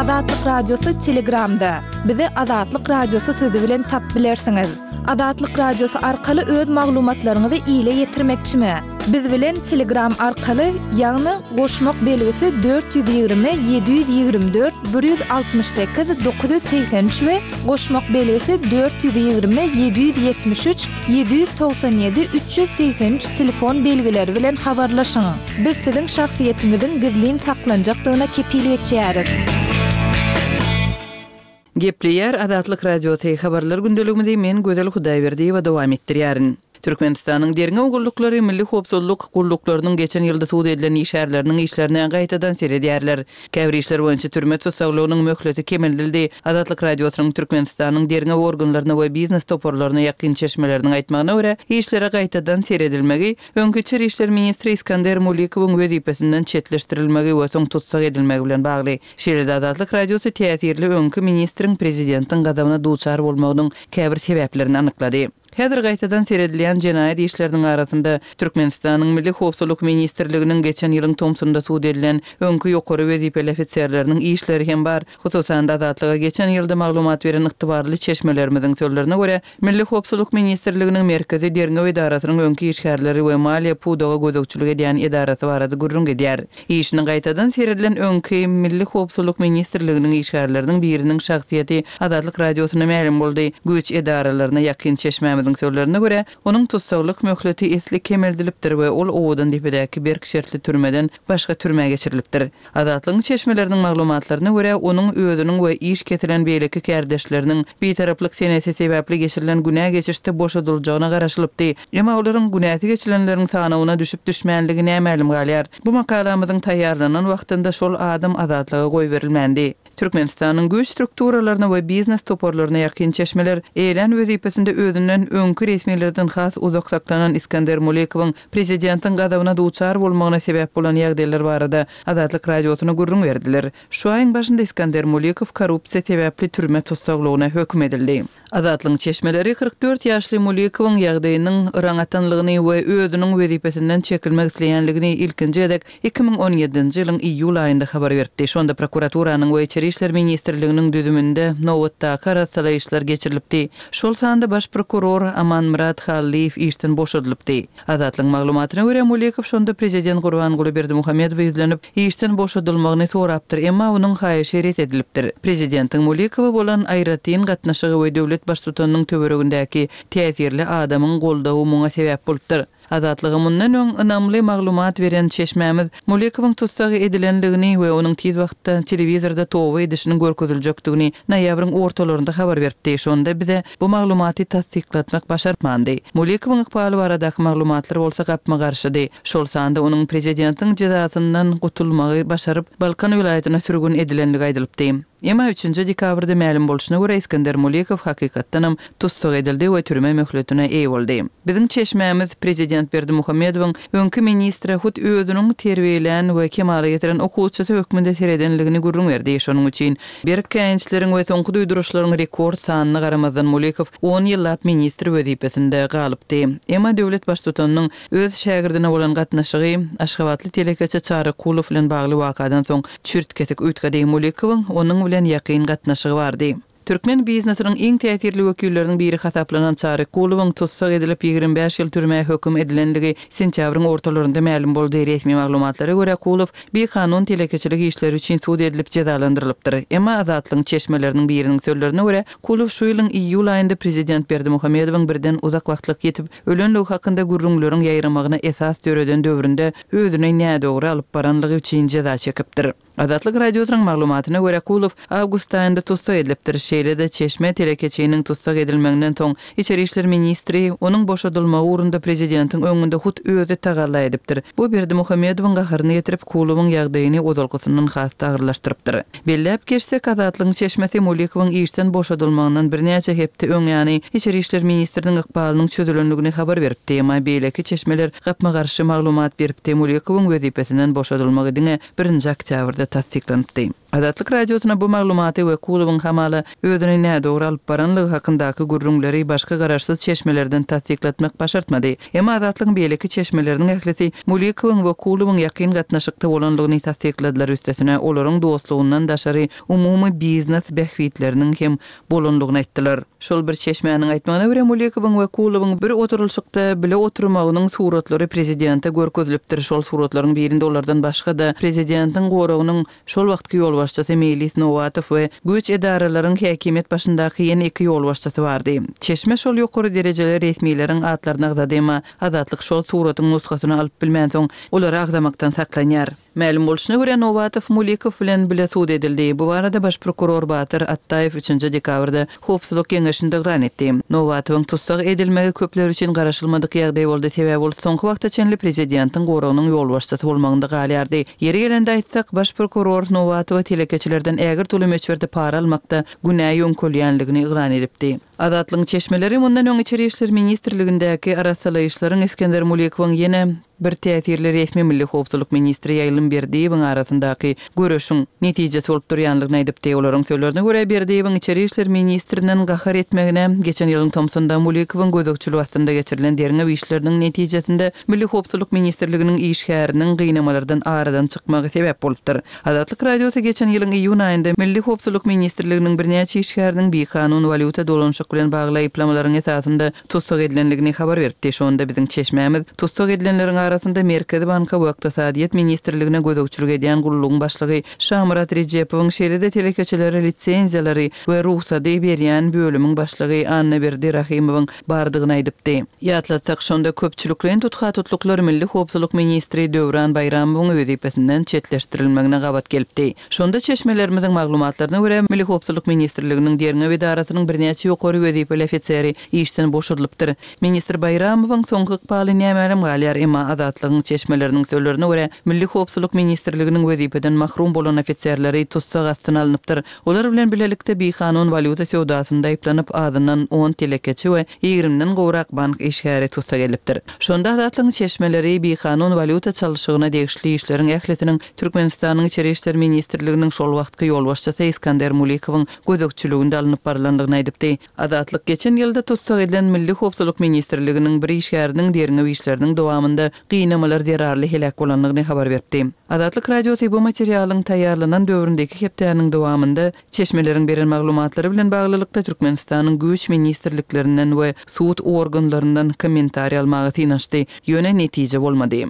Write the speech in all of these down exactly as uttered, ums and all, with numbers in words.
Azatlyk Radiosy Telegramda. Bizi Azatlyk Radiosy sözi bilen tapyp bilersiňiz. Azatlyk Radiosy arkaly öz maglumatlaryňyzy ile ýetirmekçimi? Biz bilen Telegram arkaly, ýagny goşmak belgisi dört ýüz ýigrimi ýedi ýüz ýigrimi dört bir ýüz altmyş sekiz dokuz ýüz segsen üç we goşmak belgisi dört ýüz ýigrimi ýedi ýüz ýetmiş üç ýedi ýüz togsan ýedi üç ýüz segsen üç telefon belgileri bilen habarlaşyň. Biz siziň şahsyýetiňiziň gizlin saklanjakdygyna kepil geçýäris. Gepleýär Azatlyk Radiosy, Habarlar gündeligimizi men Gözel Hudaýberdiýewa dowam etdirýärin. Türkmenistanyň derňew gulluklary Milli howpsuzlyk gulluklarynyň geçen ýylda sud edilen işgärleriniň işlerine gaýtadan seredýärler. Käbir işler boýunça türme tussaglygynyň möhleti kemeldildi. Azatlyk Radiosynyň Türkmenistanyň derňew organlaryna we biznes toparlaryna ýakyn çeşmeleriniň aýtmagyna görä, işlere gaýtadan seredilmegi öňki içeri işler ministri Iskander Mulikowyň wezipesinden çetleşdirilmegi we soň tussag edilmegi bilen bagly. Şeýle-de Azatlyk Radiosy täsirli öňki ministriň prezidentiň gazabyna duçar bolmagynyň käbir sebäplerini anyklady. Häzir gaýtadan seredilýän jenaýat işleriniň arasynda Türkmenistanyň Milli howpsuzlyk ministrliginiň geçen ýylyň tomsunda sud edilen öňki ýokary wezipeli ofiserleriniň işleri hem bar. Hususan-da, Azatlyga geçen ýylda maglumat beren ygtybarly çeşmelerimiziň sözlerine görä, Milli howpsuzlyk ministrliginiň Merkezi derňew edarasynyň öňki işgärleri we maliýe pudaga gözegçilik edýän edarasy barada gürrüň gidýär. Işini gaýtadan seredilen öňki Milli howpsuzlyk ministrliginiň işgärleriniň biriniň şahsyýeti Azatlyk Radiosyna mälim boldy. Güýç edaralaryna ýakyn çeşmämiziň sözlerine görä, onuň tussaglyk möhleti esli kemeldilipdir we ol Owadandepedäki berk şertli türmeden başga türmä geçirilipdir. Azatlygyň çeşmeleriniň maglumatlaryna görä, onuň özüniň we iş kesilen beýleki kärdeşleriniň bitaraplyk senesi sebäpli geçirilen günä geçişde boşadyljagyna garaşylypdy. Emma olaryň günäsi geçilenleriň sanawyna düşüp-düşmänligi nämälim galýar. Bu makalamyzyň taýýarlanan wagtynda şol adam azatlyga goýberilmändi. Türkmenistanyň güýç strukturalaryna we biznes toparlaryna ýakyn çeşmeler eýelän wezipesinde özünden öňki resmilerden has uzak saklanan Iskender Mulikowyň prezidentiň gazabyna duçar bolmagyna sebäp bolan ýagdaýlar barada Azatlyk Radiosyna gürrüň berdiler. Şu aýyň başynda Iskender Mulikow korrupsiýa sebäpli türme tussaglygyna höküm edildi. Azatlygyň çeşmeleri kyrk dört ýaşly Mulikowyň ýagdaýynyň yraň atanlygyny we özüniň wezipesinden çekilmek isleýänligini ilkinji gezek iki müň on ýedinji ýylyň iýul aýynda habar beripdi. Şonda prokuraturanyň we Içeri işler ministrliginiň düzüminde nobatdaky arassalaýyşlar geçirilipdi. Şol sanda baş prokuror Amanmyrat Hallyýew işden boşadylypdy. Azatlygyň maglumatyna görä, Mulikow şonda prezident Gurbanguly Berdimuhamedowa ýüzlenip, işden boşadylmagyny sorapdyr, emma onuň haýyşy ret edilipdir. Prezidentiň Mulikowa bolan aýratyn gatnaşygy we döwlet baştutanynyň töweregindäki täsirli adamyň goldawy muňa sebäp bolupdyr. Azatlyga mundan öň ynamly maglumat beren çeşmämiz Mulikowyň tussag edilendigini we onuň tiz wagtda telewizorda toba edişiniň görkeziljekdigini noýabryň ortalarynda habar beripdi. Şonda bize bu maglumaty tassyklatmak başartmandy. Mulikowyň ykbaly baradaky maglumatlar bolsa gapma-garşydy. Şol sanda onuň prezidentiň jezasyndan gutulmagy başaryp, Balkan welaýatyna sürgün edilenligi aýdylypdy. Emma üçünji dekabrda mälim bolşuna görä, Iskender Mulikow hakykatdanam tussag edildi we türme möhletine eýe boldy. Biziň çeşmämiz prezident Berdimuhamedowyň öňki ministre hut özüniň terbiýelän we kemala getiren okuwçysy hökmünde seredenligini gürrüň berdi. Şonuň üçin berk käýinçleriň we soňky duýduryşlaryň rekord sanyna garamazdan Mulikow on ýyllap ministr wezipesinde galypdy. Emma döwlet baştutanynyň öz şägirdine bolan gatnaşygy aşgabatly telekeçi Çary Kulow bilen bagly wakadan soň çürt-kesik üýtgedi. Mulikowyň onuň bilen ýakyn gatnaşygy bardy. Türkmen biznesiniň iň täsirli wekilleriniň biri hasaplanan Çary Kulowyň tussag edilip, ýigrimi bäş ýyl türmä höküm edilenligi sentýabryň ortalarynda mälim boldy. Resmi maglumatlara görä, Kulow bikanun telekeçilik işleri üçin sud edilip jezalandyrylypdyr. Emma Azatlygyň çeşmeleriniň biriniň sözlerine görä, Kulow şu ýylyň iýul aýynda prezident Berdimuhamedowyň birden uzak wagtlyk ýitip ölenligi hakynda gürrüňleriň ýaýramagyna esas döreden döwründe özüni nädogry alyp baranlygy üçin jeza çekipdir. Azatlyk Radiosynyň maglumatyna görä, Kulow awgust aýynda tussag edilipdir. Şeýle-de, çeşme telekeçiniň tussag edilmeginden soň, içeri işler ministri onuň boşadylmagy ugrunda prezidentiň öňünde hut özi tagalla edipdir. Bu Berdimuhamedowyň gaharyny getirip, Kulowyň ýagdaýyny ozalkysyndan has-da agyrlaşdyrypdyr. Belläp geçsek, Azatlygyň çeşmesi Mulikowyň işden boşadylmagyndan birnäçe hepde öň ýany içeri işler ministriniň ykbalynyň çözülendigini habar beripdi. Emma beýleki çeşmeler gapma-garşy maglumat beripdi, Mulikowyň wezipesinden boşadylmagy diňe birinji oktýabrda tassyklanypdy. Azatlyk Radiosyna bu maglumaty Wekulowyň hamala özüni nädogry alyp baranlygy hakyndaky gürrüňleri başga garaşsyz çeşmelerden tassyklatmak başartmady. Emma Azatlygyň beýleki çeşmeleriniň ählisi Mulikowyň Wekulowyň ýakyn gatnaşykda bolanlygyny tassykladylar, üstesine olaryň dostlugyndan daşary umumy biznes bähbitleriniň hem bolanlygyny aýtdylar. Şol bir çeşmäniň aýtmagyna görä, Mulikowyň Wekulowyň bir oturylyşykda bile oturmagynyň suratlary prezidente görkezilipdir. Şol suratlaryň birinde olardan başga-da prezidentiň goragynyň şol wagtky ýolbaşçysy Meýlis Nowatow we güýç edaralaryň häkimiýet başyndaky ýene iki ýolbaşçysy bardy. Çeşme şol ýokary derejeli resmileriň atlaryny agzady, emma Azatlyk şol suratyň nusgasyny alyp bilmänsoň, olary agzamakdan saklanýar. Mälim bolşuna görä, Nowatow Mulikow bilen bile sud edildi. Bu barada baş prokuror Batyr Atdaýew üçünji dekabrda Howpsuzlyk geňeşinde yglan etdi. Nowatowyň tussag edilmegi köpler üçin garaşylmadyk ýagdaý boldy, sebäbi ol soňky wagta çenli prezidentiň goragynyň ýolbaşçysy bolmagynda galýardy. Ýeri gelende aýtsak, baş prokuror Nowatowa telekeçilerden ägirt uly möçberde para almakda günä ýöňkelýänligini yglan edipdi. Azatlygyň çeşmeleri mundan öň Içeri işler ministrligindäki arassalaýyşlaryň Isgender Mulikowyň ýene bir täsirli resmi Milli howpsuzlyk ministri Ýaýlym Berdiýewiň arasyndaky göreşiň netijesi bolup durýanlygyny aýdypdy. Olaryň sözlerine görä, Berdiýewiň Içeri işler ministrinden gahar etmegine geçen ýylyň tomsunda Mulikowyň gözegçiligi astynda geçirilen derňew işleriniň netijesinde Milli howpsuzlyk ministrliginiň işgäriniň gynamalardan aradan çykmagy sebäp bolupdyr. Azatlyk Radiosy geçen ýylyň iýun aýynda Milli howpsuzlyk ministrliginiň birnäçe işgäriniň bikanun walýuta dolanyşyk bilen bagly aýyplamalaryň esasynda tussag edilendigini habar beripdi. Şonda biziň çeşmämiz tussag edilenleriň arasynda Merkezi banka we Ykdysadyýet ministrligine gözegçilik edýän gullugyň başlygy Şamyrat Rejepowyň, şeýle-de telekeçilere lisenziýalary we rugsady berýän bölümiň başlygy Annaberdi Rahymowyň bardygyny aýdypdy. Ýatlatsak, şonda köpçülikleýin tutha-tutluklar Milli howpsuzlyk ministri Döwran Baýramowyň wezipesinden çetleşdirilmegine gabat gelipdi. Şonda çeşmelerimiziň maglumatlaryna görä, Milli howpsuzlyk ministrliginiň derňew edarasynyň birnäçe ýokary wezipeli ofiseri işden boşadylypdyr. Ministr Baýramowyň soňky ykbaly nämälim galýar, emma Azatlygyň çeşmeleriniň sözlerine görä, Milli howpsuzlyk ministrliginiň wezipeden mahrum bolan ofiserleri tussag astyna alnypdyr. Olar bilen bilelikde bikanun walýuta söwdasynda aýyplanyp, azyndan on telekeçi we ýigrimiden gowrak bank işgäri tussag edilipdir. Şonda Azatlygyň çeşmeleri bikanun walýuta çalşygyna degişli işleriň ählisiniň Türkmenistanyň Içeri işler ministrliginiň şol wagtky ýolbaşçysy Iskander Mulikowyň gözegçiliginde alnyp barylandygyny aýdypdy. Azatlyk geçen ýylda tussag edilen Milli howpsuzlyk ministrliginiň bir işgäriniň derňew işleriniň dowamynda gynamalar zerarly heläk bolandygyny habar beripdi. Azatlyk Radiosy bu materialyň taýýarlanan döwründe iki hepdäniň dowamynda çeşmeleriň beren maglumatlary bilen baglylykda Türkmenistanyň güýç ministrliklerinden we sud organlaryndan kommentariý almaga synanyşdy, ýöne netije bolmady.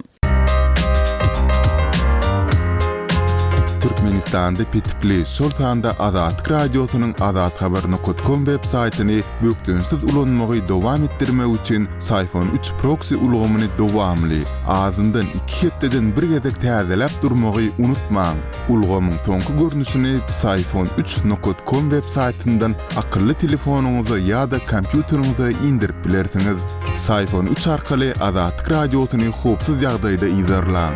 Türkmenistanda petikli, şol sanda Azatlyk Radiosynyň azathabar nokat kom web saýtyny bökdençsiz ulanmagy dowam etdirmek üçin Syfon üç proksi ulgamyny dowamly, azyndan iki hepdeden bir gezek täzeläp durmagy unutmaň. Ulgamyň soňky görnüşini Syfon üç nokat kom web saýtyndan akylly telefonyňyza ýa-da kompýuteriňize indirip bilersiňiz. Syfon üç arkaly Azatlyk Radiosyny howpsuz ýagdaýda yzarlaň.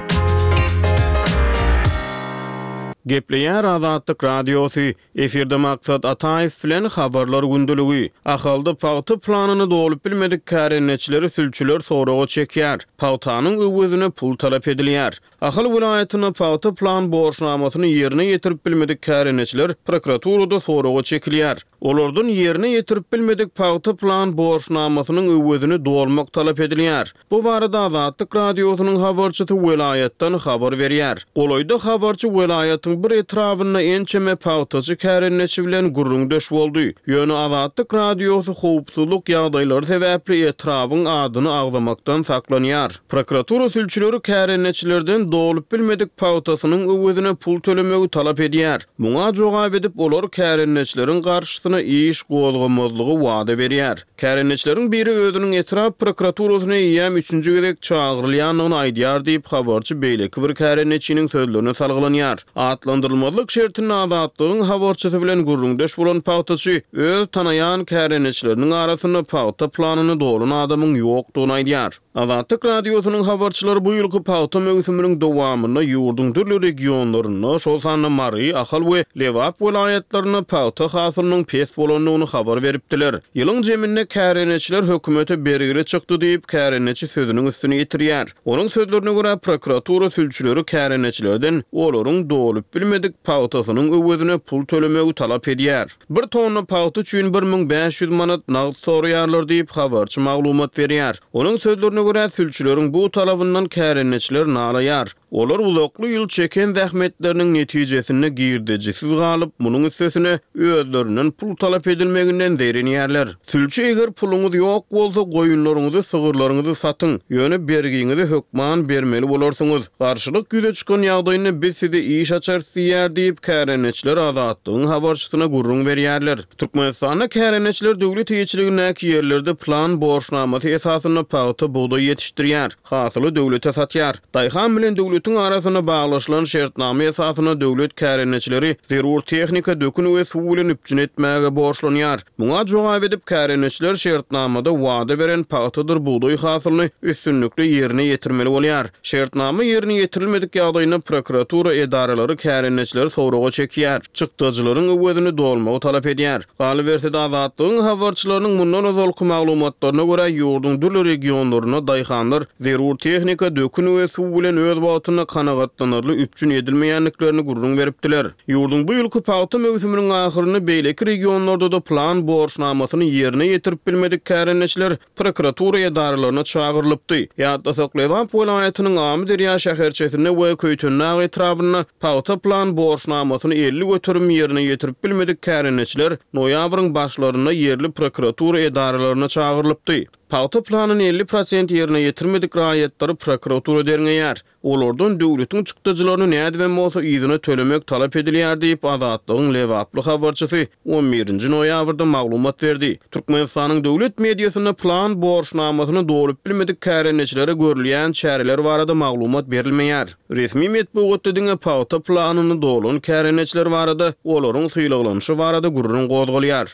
Gepleýär Azatlyk Radiosy. Efirde Maksat Ataýew bilen Habarlar gündeligi. Ahalda pagta planyny dolup bilmedik kärendeçileri sülçüler soraga çekýär. Pagtanyň öwezine pul talap edilýär. Ahal welaýatynda pagta plan borçnamasyny ýerine ýetirip bilmedik kärendeçiler prokuraturada soraga çekilýär. Olardan ýerine ýetirip bilmedik pagta plan borçnamasynyň öwezini dolmak talap edilýär. Bu barada Azatlyk Radiosynyň habarçysy welaýatdan habar berýär. Golaýda habarçy welaýatyň bir etrabynda ençeme pagtaçy kärendeçi bilen gürrüňdeş boldy. Ýöne Azatlyk Radiosy howpsuzlyk ýagdaýlary sebäpli etrabyň adyny agzamakdan saklanýar. Prokuratura sülçüleri kärendeçilerden dolup bilmedik pagtasynyň öwezine pul tölemegi talap edýär. Muňa jogap edip, olar kärendeçileriň garşysyna iş gozgamazlygy wada berýär. Kärendeçileriň biri özüniň etrap prokuraturasyna eýýäm üçünji gezek çagyrylýandygyny aýdýar diýip, habarçy beýleki bir kärendeçiniň sözlerine salgylanýar. Atlandyrylmazlyk şertinde Azatlygyň habarçysy bilen gürrüňdeş bolan pagtaçy öz tanaýan kärendeçileriniň arasynda pagta planyny dolan adamyň ýokdugyny aýdýar. Azatlyk Radiosynyň habarçylary bu ýylky pagta möwsüminiň dowamynda ýurduň dürli regionlarynda, şol sanda Mary, Ahal we Lebap welaýatlarynda pagta hasylynyň pes bolandygyny habar beripdiler. Ýylyň jeminde kärendeçiler hökümete bergili çykdy diýip, kärendeçi sözüniň üstüni ýetirýär. Onuň sözlerine görä, prokuratura sülçüleri kärendeçilerden olaryň dolup bilmedik pagtasynyň öwezine pul tölemegi talap edýär. Bir tonna pagta üçin bir müň bäş ýüz manat nagt soraýarlar diýip, habarçy maglumat berýär. Onuň sözlerine görä, sülçüleriň bu talabyndan kärendeçiler nalaýar. Olar uzakly ýyl çeken zähmetleriniň netijesinde girdejisiz galyp, munuň üstesine özlerinden pul talap edilmeginden zeýrenýärler. Sülçi eger puluňyz ýok bolsa, goýunlaryňyzy, sygyrlaryňyzy satyň, ýöne bergiňizi hökman bermeli bolarsyňyz. Garşylyk ýüze çykan ýagdaýynda biz size iş açarys diýýär diýip, kärendeçiler Azatlygyň habarçysyna gürrüň berýärler. Türkmenistanda kärendeçiler döwlet eýeçiligindäki ýerlerde plan borçnamasy esasynda pagta, bugdaý ýetişdirýär, hasyly döwlete satýar. Daýhan bilen döwletiň arasynda baglaşylan şertnama esasynda döwlet kärendeçileri zerur tehnika, dökün we suw bilen üpjün etmäge borçlanýar. Muňa jogap edip, kärendeçiler şertnamada wada beren pagtadyr bugdaý hasylyny üstünlikli ýerine ýetirmeli bolýar. Şertnama ýerine ýetirilmedik ýagdaýynda prokuratura edaralary kärendeçileri soraga çekýär, çykdajylaryň öwezini dolmagy talap edýär. Galyberse-de, Azatlygyň habarçylarynyň mundan ozalky maglumatlaryna görä, ýurduň dürli regionlarynda daýhanlar zerur tehnika, dökün we suw bilen öz wagtynda kanagatlanarly üpjün edilmeýändiklerini gürrüň beripdiler. Ýurduň bu ýylky pagta möwsüminiň ahyrynda beýleki regionlarda-da plan borçnamasyny ýerine ýetirip bilmedik kärendeçiler prokuratura edaralaryna çagyrylypdy. Ýatlasak, Lebap welaýatynyň Amyderýa şäherçesinde we Köýtendag etrabynda pagta plan borçnamasyny elli göterim ýerine ýetirip bilmedik kärendeçiler noýabryň başlarynda ýerli prokuratura edaralaryna çagyrylypdy. Pagta planyny elli prosent ýerine ýetirmedik raýatlary prokuratura derňeýär. Olardan döwletiň çykdajylaryny nädibem bolsa yzyna tölemek talap edilýär diýip, Azatlygyň lebaply habarçysy on birinji noýabrda maglumat berdi. Türkmenistanyň döwlet mediasynda plan borçnamasyny dolup bilmedik kärendeçilere görülýän çäreler barada maglumat berilmeýär. Resmi metbugatda diňe pagta planyny dolan kärendeçiler barada, olaryň sylaglanyşy barada gürrüň gozgalýar.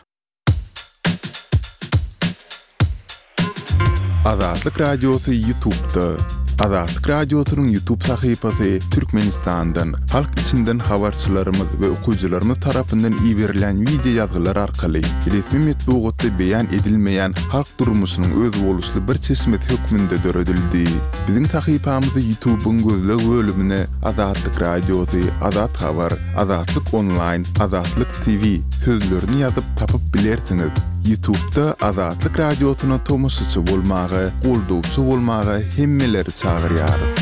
Azatlyk Radiosy YouTube'da. Azatlyk Radiosynyň YouTube sahypasy Türkmenistandan, halk içinden habarçylarymyz we okyjylarymyz tarapyndan iberilen wideo ýazgylar arkaly resmi metbugatda beýan edilmeýän halk durmuşynyň özboluşly bir çeşmesi hökmünde döredildi. Biziň sahypamyzy YouTube'yň gözleg bölümine Azatlyk Radiosy, Azat Habar, Azatlyk Online, Azatlyk T V sözlerini ýazyp tapyp bilersiňiz. YouTube'da Azatlyk Radiosyna tomaşaçy bolmaga, goldawçy bolmaga hemmeleri çagyrýarys.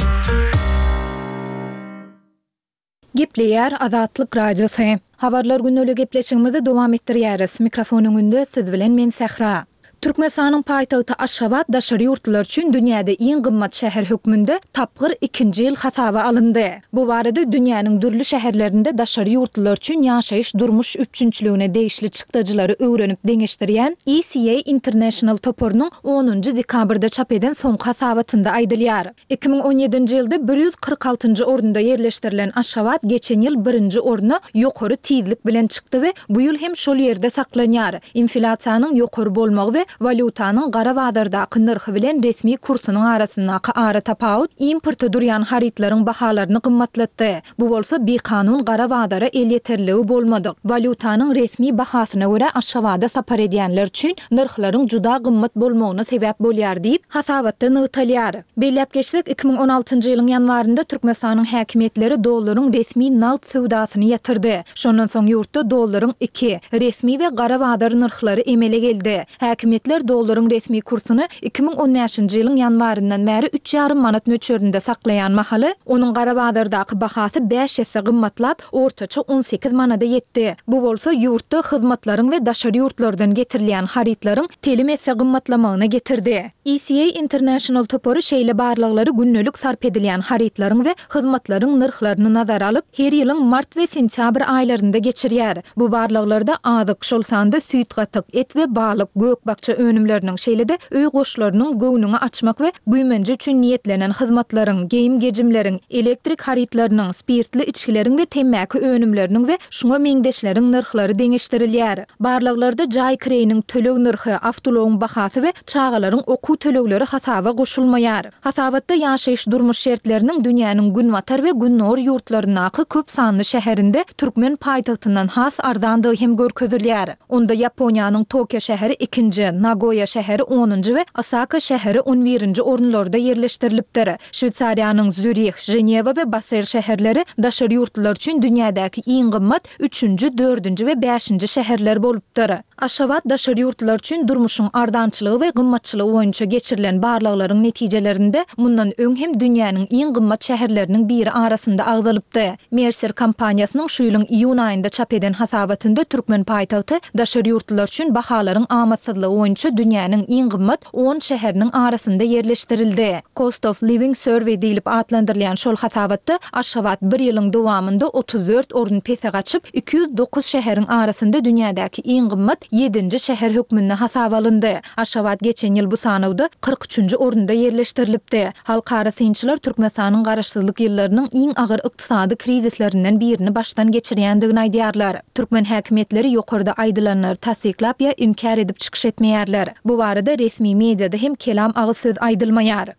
Gepleýär Azatlyk Radiosy. Habarlar gündelik gepleşigimizi dowam etdirýäris. Mikrofon öňünde siz bilen men Sähra. Türkmenistanyň paýtagty Aşgabat daşary ýurtlular üçin dünýäde iň gymmat şäher hökmünde tapgyr ikinji ýyl hasaba alyndy. Bu barada dünýäniň dürli şäherlerinde daşary ýurtlular üçin ýaşaýyş durmuş üpjünçiligine degişli çykdajylary öwrenip deňeşdirýän E C A International toparynyň onunjy dekabrda çap eden soňky hasabatynda aýdylýar. Iki müň on ýedinji ýylda bir ýüz kyrk altynjy orunda ýerleşdirilen Aşgabat geçen ýyl birinji orna ýokary tizlik bilen çykdy we bu ýyl hem şol ýerde saklanýar. Inflýasiýanyň ýokary bolmagy we walýutanyň gara bazardaky nyrhy bilen resmi kursunyň arasyndaky ara tapawut importa durýan harytlaryň bahalaryny gymmatlatdy. Bu bolsa bikanun gara bazara elýeterligi bolmadyk. Walýutanyň resmi bahasyna görä Aşgabada sapar edýänler üçin nyrhlaryň juda gymmat bolmagyna sebäp bolýar diýip hasabatda nygtalýar. Belläp geçsek, iki müň on altynjy ýylyň ýanwarynda Türkmenistanyň häkimiýetleri dollaryň resmi nagt söwdasyny ýatyrdy. Şondan soň ýurtda dollaryň iki, resmi we gara bazar nyrhlary emele geldi. Häkimiýetler dollaryň resmi kursuny iki müň on bäşinji ýylyň ýanwaryndan bäri üç ýarym manat möçberinde saklaýan mahaly, onuň gara bazardaky bahasy bäş esse gymmatlap, ortaça on sekiz manada ýetdi. Bu bolsa ýurtda hyzmatlaryň we daşary ýurtlardan getirilýän harytlaryň telim esse gymmatlamagyna getirdi. E C A International topary şeýle barlaglary gündelik sarp edilýän harytlaryň we hyzmatlaryň nyrhlaryny nazara alyp, her ýylyň mart we sentýabr aýlarynda geçirýär. Bu barlaglarda azyk, şol sanda süýt gatyk, et we balyk, gök-bakja bakja önümleriniň, şeýle-de öý goşlarynyň, göwnüňi açmak we güýmenje üçin niýetlenen hyzmatlaryň, geýim-gejimleriň, elektrik harytlarynyň, spirtli içgileriň we temmäki önümleriniň we şuňa meňzeşleriň nyrhlary deňeşdirilýär. Barlaglarda jaý kireýiniň töleg nyrhy, awtoulagyň bahasy we çagalaryň okuw tölegleri hasaba goşulmaýar. Hasabatda ýaşaýyş-durmuş şertleriniň dünýäniň günbatar we gündogar ýurtlaryndaky köp sanly şäherinde türkmen paýtagtyndan has arzandygy hem görkezilýär. Onda Ýaponiýanyň Tokio şäheri ikinji, Nagoýa şäheri onunjy we Osaka şäheri on birinji orunlarda ýerleşdirilipdir. Şweýsariýanyň Zýurih, Ženewa we Basel şäherleri daşary ýurtlular üçin dünýädäki iň gymmat üçünji, dördünji we bäşinji şäherler bolupdyr. Aşgabat daşary ýurtlular üçin durmuşyň arzançylygy we gymmatçylygy boýunça geçirilen barlaglaryň netijelerinde mundan öň hem dünýäniň iň gymmat şäherleriniň biri arasynda agzalypdy. Mercer kompaniýasynyň şu ýylyň iýun aýynda çap eden hasabatynda türkmen paýtagty daşary ýurtlular üçin bahalaryň amatsyzlygy boýunça dünýäniň iň gymmat on şäheriniň arasynda ýerleşdirildi. Cost of Living Survey diýlip atlandyrylýan şol hasabatda Aşgabat bir ýylyň dowamynda otuz dört orun pese gaçyp, iki ýüz dokuz şäheriň arasynda dünýädäki iň gymmat ýedinji şäher hökmünde hasaba alyndy. Aşgabat geçen ýyl bu sanawda kyrk üçünji orunda ýerleşdirilipdi. Halkara synçylar Türkmenistanyň garaşsyzlyk ýyllarynyň iň agyr ykdysady krizislerinden birini başdan geçirýändigini aýdýarlar. Türkmen häkimiýetleri ýokarda aýdylanlary tassyklap ýa inkär edip çykyş etmeýärler. Bu barada resmi mediada hem kelam agyz söz aýdylmaýar.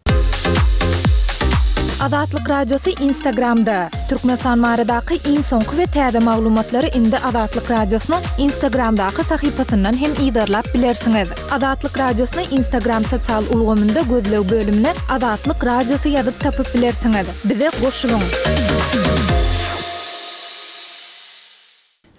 Azatlyk Radiosy Instagramda. Türkmenistan baradaky iň soňky we täze maglumatlary indi Azatlyk Radiosynyň Instagramdaky sahypasyndan hem yzarlap bilersiňiz. Azatlyk Radiosyny Instagram sosial ulgamynda gözleg bölümine Azatlyk Radiosy ýazyp tapyp bilersiňiz. Bize goşulyň!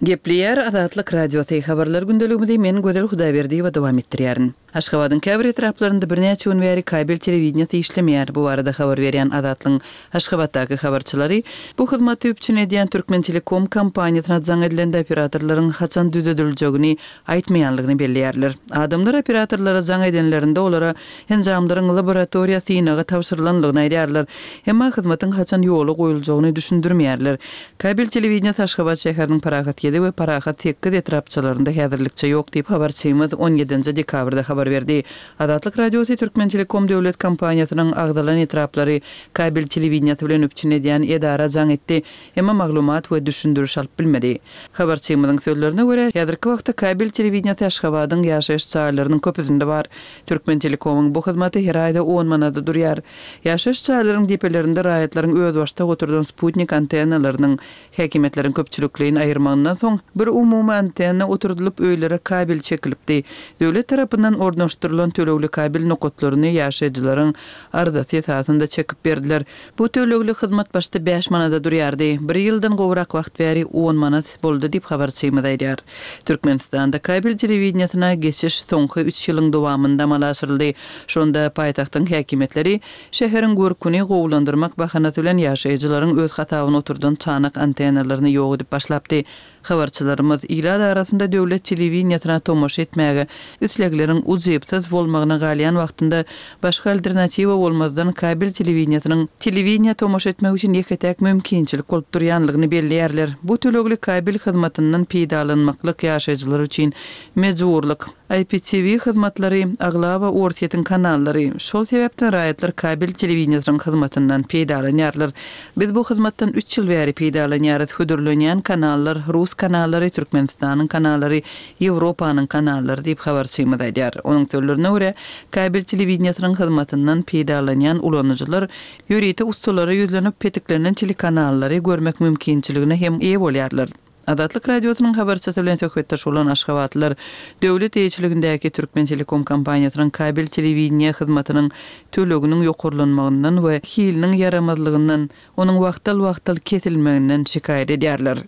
Gepleýär Azatlyk Radiosy, Habarlar gündeligimizi men Gözel Hudaýberdiýewa dowam etdirýärin. Aşgabadyň käbir etraplarynda birnäçe gün bäri kabel telewideniýesi işlemeýär. Bu barada habar berýän Azatlygyň Aşgabatdaky habarçylary bu hyzmaty üpjün edýän Türkmentelekom kompaniýasyna jaň edilende operatorlaryň haçan düzediljegini aýtmaýanlygyny belleýärler. Adamlar operatorlara jaň edenlerinde olara enjamlaryň laboratoriýa synaga tabşyrylanlygyny aýdýarlar. Emma hyzmatyň haçan ýola goýuljagyny düşündirmeýärler. Kabel telewideniýesi Aşgabat şäheriniň Parahat ýedi we Parahat sekiz etrapçalarynda häzirlikçe ýok diýip, habarçymyz on ýedinji dekabrda habar berdi. Azatlyk Radiosy Türkmentelekom döwlet kompaniýasynyň agzalan etraplary kabel telewideniýesi bilen üpjün edýän edara jaň etdi, emma maglumat we düşündiriş alyp bilmedi. Habarçymyzyň sözlerine görä, häzirki wagtda kabel telewideniýesi Aşgabadyň ýaşaýyş jaýlarynyň köpüsinde bar. Türkmentelekomyň bu hyzmaty her aýda on manada durýar. Ýaşaýyş jaýlaryň depelerinde raýatlaryň özbaşdak oturdan sputnik antennalarynyň häkimiýetleriň köpçülikleýin aýyrmagyndan soň, bir umumy antenna oturdylyp, öýlere kabel çekilipdi. Döwlet tarapyndan ornaşdyrylan tölegli kabel nokatlaryny ýaşaýjylaryň arzasy esasynda çekip berdiler. Bu tölegli hyzmat başda bäş manada durýardy. Bir ýyldan gowrak wagt bäri on manat boldy diýip, habarçymyz aýdýar. Türkmenistanda kabel telewideniýesine geçiş soňky üç ýylyň dowamynda amala aşyryldy. Şonda paýtagtyň häkimiýetleri şäheriň görküni gowulandyrmak bahanasy bilen ýaşaýjylaryň öz hasabyna oturdan çanak antennalaryny ýok edip başlapdy. Habarçylarymyz ilat arasynda döwlet telewideniýesine tomaşa etmäge islegleriň ujypsyz bolmagyna galýan wagtynda başga alternatiwa bolmazdan kabel telewideniýesiniň telewideniýä tomaşa etmek üçin ýeke-täk mümkinçilik bolup durýanlygyny belleýärler. Bu tölegli kabel hyzmatyndan peýdalanmaklyk ýaşaýjylar üçin mejburlyk. I P T V hyzmatlary aglaba Orsýetiň kanallary. Şol sebäpden raýatlar kabel telewideniýesiniň hyzmatyndan peýdalanýarlar. Biz bu hyzmatdan üç ýyl bäri peýdalanýarys. Hödürlenýän kanallar rus kanallary, Türkmenistanyň kanallary, Ýewropanyň kanallary diýip habarçymyz aýdýar. Onuň sözlerine görä, kabel telewideniýesiniň hyzmatyndan peýdalanýan ulanyjylar ýörite ussalara ýüzlenip petiklenen telekanallary görmek mümkinçiligine hem eýe bolýarlar. Azatlyk Radiosynyň habarçysy bilen söhbetdeş bolan aşgabatlylar döwlet eýeçiligindäki Türkmentelekom kompaniýasynyň kabel telewideniýe hyzmatynyň töleginiň ýokarlanmagyndan we hiliniň ýaramazlygyndan, onuň wagtal-wagtal kesilmeginden şikaýat edýärler.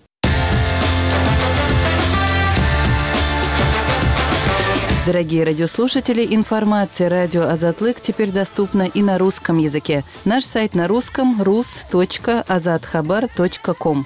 Дорогие радиослушатели, информация радио Азатлык теперь доступна и на русском языке. Наш сайт на русском рус точка азатхабар точка ком.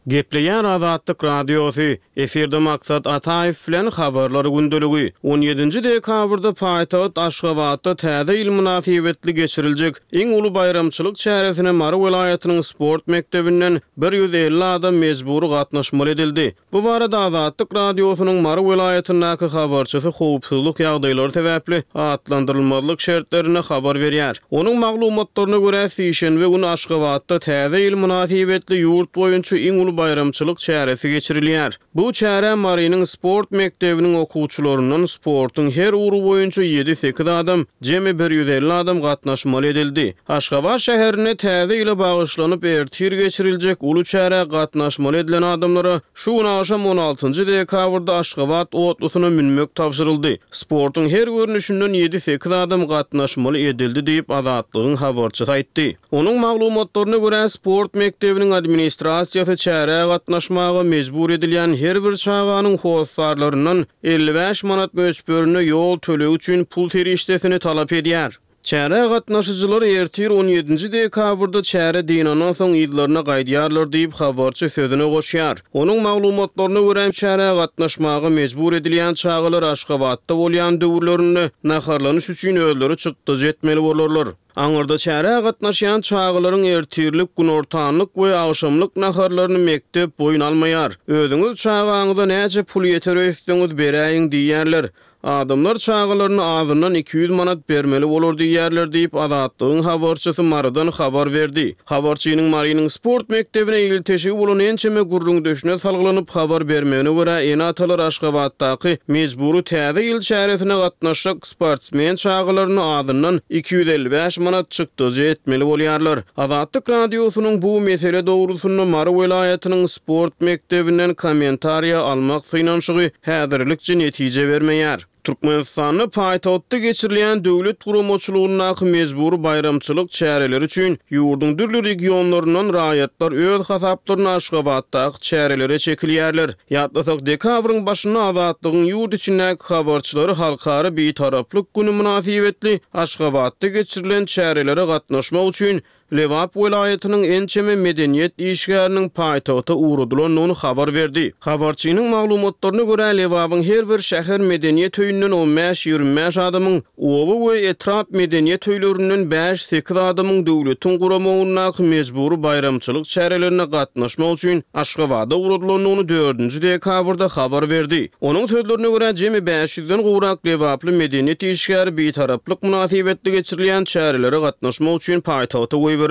Gepleýär Azatlyk Radiosy, efirde Maksat Ataýew bilen Habarlar gündeligi. On ýedinji dekabrda paýtagt Aşgabatda Täze ýyl mynasybetli geçiriljek iň uly baýramçylyk çäresine Mary welaýatynyň sport mekdebinden bir ýüz elli adam mejbury gatnaşmaly edildi. Bu barada Azatlyk Radiosynyň Mary welaýatyndaky habarçysy howpsuzlyk ýagdaýlary sebäpli atlandyrylmazlyk şertlerinde habar berýär. Onuň maglumatlaryna görä, sişenbe güni Aşgabatda Täze ýyl mynasybetli ýurt boýunça iň uly baýramçylyk çäresi geçirilýär. Bu çärä Marynyň sport mekdebiniň okuwçylaryndan sportuň her ugry boýunça ýedi-sekiz adam, jemi bir ýüz elli adam gatnaşmaly edildi. Aşgabat şäherinde Täze ýyla bagyşlanyp ertir geçiriljek uly çärä gatnaşmaly edilen adamlara şu gün agşam on altynjy dekabrda Aşgabat otlusyna münmek tabşyryldy. Sportuň her görnüşinden ýedi-sekiz adam gatnaşmaly edildi diýip Azatlygyň habarçysy aýtdy. Onuň maglumatlaryna görä, sport mekdebiniň administrasiýasy çärä gatnaşmaga mejbur edilýän her bir çaganyň hossarlaryndan elli bäş manat möçberinde ýol tölegi üçin pul serişdesini talap edýär. Çärä gatnaşyjylar ertir on ýedinji dekabrda çäre dynandan soň yzlaryna gaýdýarlar diýip habarçy sözüne goşýar. Onuň maglumatlaryna görä, çärä gatnaşmaga mejbur edilýän çagalar Aşgabatda bolýan döwürlerinde naharlanyş üçin özleri çykdajy etmeli bolarlar. Aňyrda çärä gatnaşýan çagalaryň ertirlik, günortanlyk we agşamlyk naharlaryny mekdep boýun almaýar. Özüňiz çagaňyza näçe pul ýeter öýtseňiz beräýiň diýýärler. Adamlar çagalaryny azyndan iki ýüz manat bermeli bolar diýýärler diýip Azatlygyň habarçysy Marydan habar berdi. Habarçynyň Marynyň sport mekdebine ilteşigi bolan ençeme gürrüňdeşine salgylanyp habar bermegine görä, ene-atalar Aşgabatdaky mejbury Täze ýyl çäresine gatnaşjak sportsmen çagalaryny azyndan iki ýüz elli bäş manat çykdajy etmeli bolýarlar. Azatlyk Radiosynyň bu mesele dogrusynda Mary welaýatynyň sport mekdebinden kommentariýa almak synanyşygy häzirlikçe netije bermeýär. Türkmenistanda paýtagtda geçirilýän döwlet guramaçylygyndaky mejbury baýramçylyk çäreleri üçin ýurduň dürli regionlaryndan raýatlar öz hasaplaryna Aşgabatdaky çärelere çekilýärler. Ýatlasak, dekabryň başynda Azatlygyň ýurt içindäki habarçylary Halkara Bitaraplyk günü mynasybetli Aşgabatda geçirilen çärelere gatnaşmak üçin Lebap welaýatynyň ençeme medeniýet işgäriniň paýtagta ugradylandygyny habar berdi. Habarçynyň maglumatlaryna görä, Lebabyň her bir şäher medeniýet öýünden on bäş ýigrimi bäş adamyň, oba we etrap medeniýet öýlerinden bäş sekiz adamyň döwletiň guramagyndaky mejbury baýramçylyk çärelerine gatnaşmak üçin Aşgabada ugradylandygyny dördünji dekabrda habar berdi. Onuň sözlerine görä, jemi bäş ýüzden gowrak Lebaply medeniýet işgäri bitaraplyk mynasybetli geçirilýän çärelere gatnaşmak üçin paýtagta goýberildi.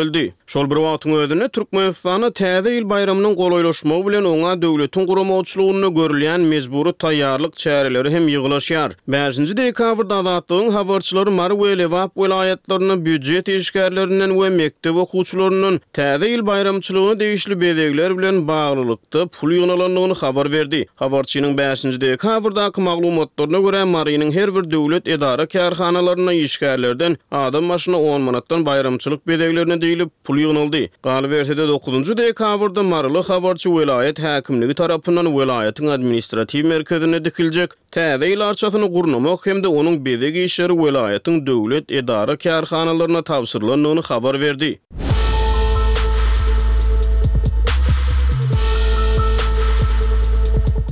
Şol bir wagtyň özünde Türkmenistanda Täze ýyl baýramynyň golaýlaşmagy bilen oňa döwletiň guramaçylygynda görülýän mejbury taýýarlyk çäreleri hem ýygylaşýar. Bäşinji dekabrda Azatlygyň habarçylary Mary we Lebap welaýatlarynda býujet işgärlerinden we mekdep okuwçylaryndan Täze ýyl baýramçylygyna degişli bezegler bilen baglylykda pul ýygnalandygyny habar berdi. Habarçynyň bäşinji dekabrdaky maglumatlaryna görä, Marynyň her bir döwlet edara kärhanalarynda işgärlerden adam başyna on manatdan baýramçylyk bezeglerine diýlip pul ýygnaldy. Galyberse-de dokuzynjy dekabrda Maryly habarçy welaýat häkimligi tarapyndan welaýatyň administratiw merkezinde dikiljek Täze ýyl arçasyny gurnamak hem-de onuň bezeg işleri welaýatyň döwlet edara kärhanalaryna tabşyrylandygyny habar berdi.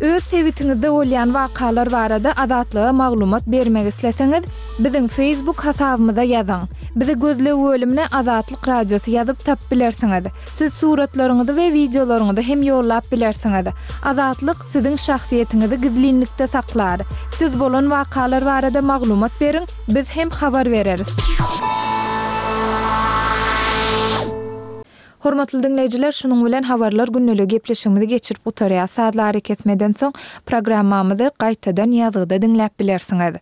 Öz sebitiňizde bolýan wakalar barada Azatlyga maglumat bermek isleseňiz, biziň Facebook hasabymyza ýazyň. Bizi gözleg bölümine Azatlyk Radiosy ýazyp tap bilersiňiz. Siz suratlaryňyzy we wideolaryňyzy hem ýollap bilersiňiz. Azatlyk siziň şahsyýetiňizi gizlinlikde saklar. Siz bolan wakalar barada maglumat beriň, biz hem habar bereris. Hormatly dinleýjiler, şunuň bilen habarlar günlügi gepleşigimizi geçirip gutarýar. Sazlary kesmeden soň programmamyzy gaýtadan ýazgyda diňläp bilersiňiz.